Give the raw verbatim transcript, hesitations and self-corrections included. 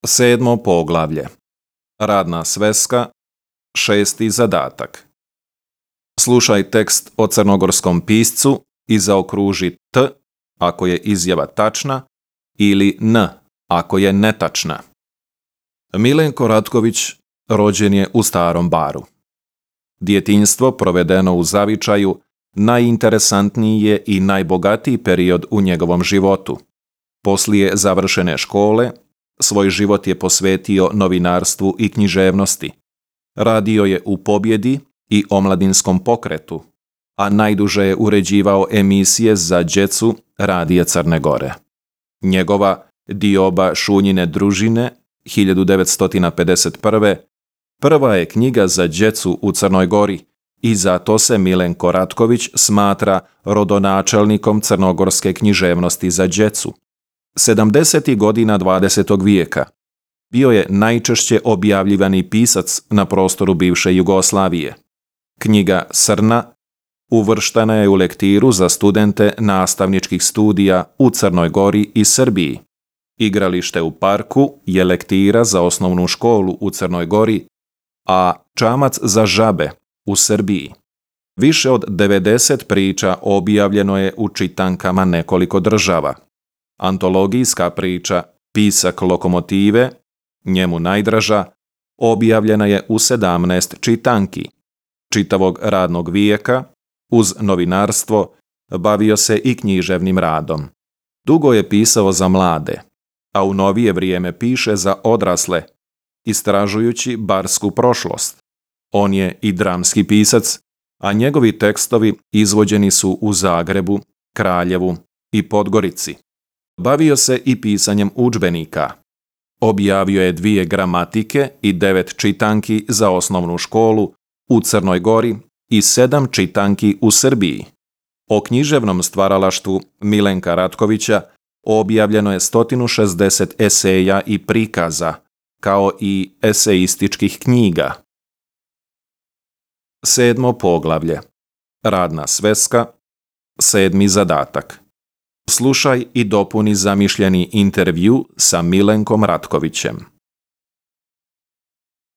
Sedmo poglavlje. Radna sveska. Šesti zadatak. Slušaj tekst o crnogorskom piscu i zaokruži T ako je izjava tačna ili N ako je netačna. Milenko Ratković rođen je u Starom Baru. Djetinjstvo provedeno u zavičaju najinteresantniji je i najbogatiji period u njegovom životu. Poslije završene škole, svoj život je posvetio novinarstvu i književnosti. Radio je u Pobjedi i Omladinskom pokretu, a najduže je uređivao emisije za djecu Radija Crne Gore. Njegova Dioba Šunjine družine hiljadu devetsto pedeset prve. prva je knjiga za djecu u Crnoj Gori i zato se Milenko Ratković smatra rodonačelnikom crnogorske književnosti za djecu. sedamdesetih godina dvadesetog vijeka bio je najčešće objavljivani pisac na prostoru bivše Jugoslavije. Knjiga Srna uvrštena je u lektiru za studente nastavničkih studija u Crnoj Gori i Srbiji. Igralište u parku je lektira za osnovnu školu u Crnoj Gori, a Čamac za žabe u Srbiji. Više od devedeset priča objavljeno je u čitankama nekoliko država. Antologijska priča Pisak lokomotive, njemu najdraža, objavljena je u sedamnaest čitanki. Čitavog radnog vijeka, uz novinarstvo, bavio se i književnim radom. Dugo je pisao za mlade, a u novije vrijeme piše za odrasle, istražujući barsku prošlost. On je i dramski pisac, a njegovi tekstovi izvođeni su u Zagrebu, Kraljevu i Podgorici. Bavio se i pisanjem udžbenika. Objavio je dvije gramatike i devet čitanki za osnovnu školu u Crnoj Gori i sedam čitanki u Srbiji. O književnom stvaralaštvu Milenka Ratkovića objavljeno je sto šezdeset eseja i prikaza, kao i eseističkih knjiga. Sedmo poglavlje. Radna sveska. Sedmi zadatak. Slušaj i dopuni zamišljeni intervju sa Milenkom Ratkovićem.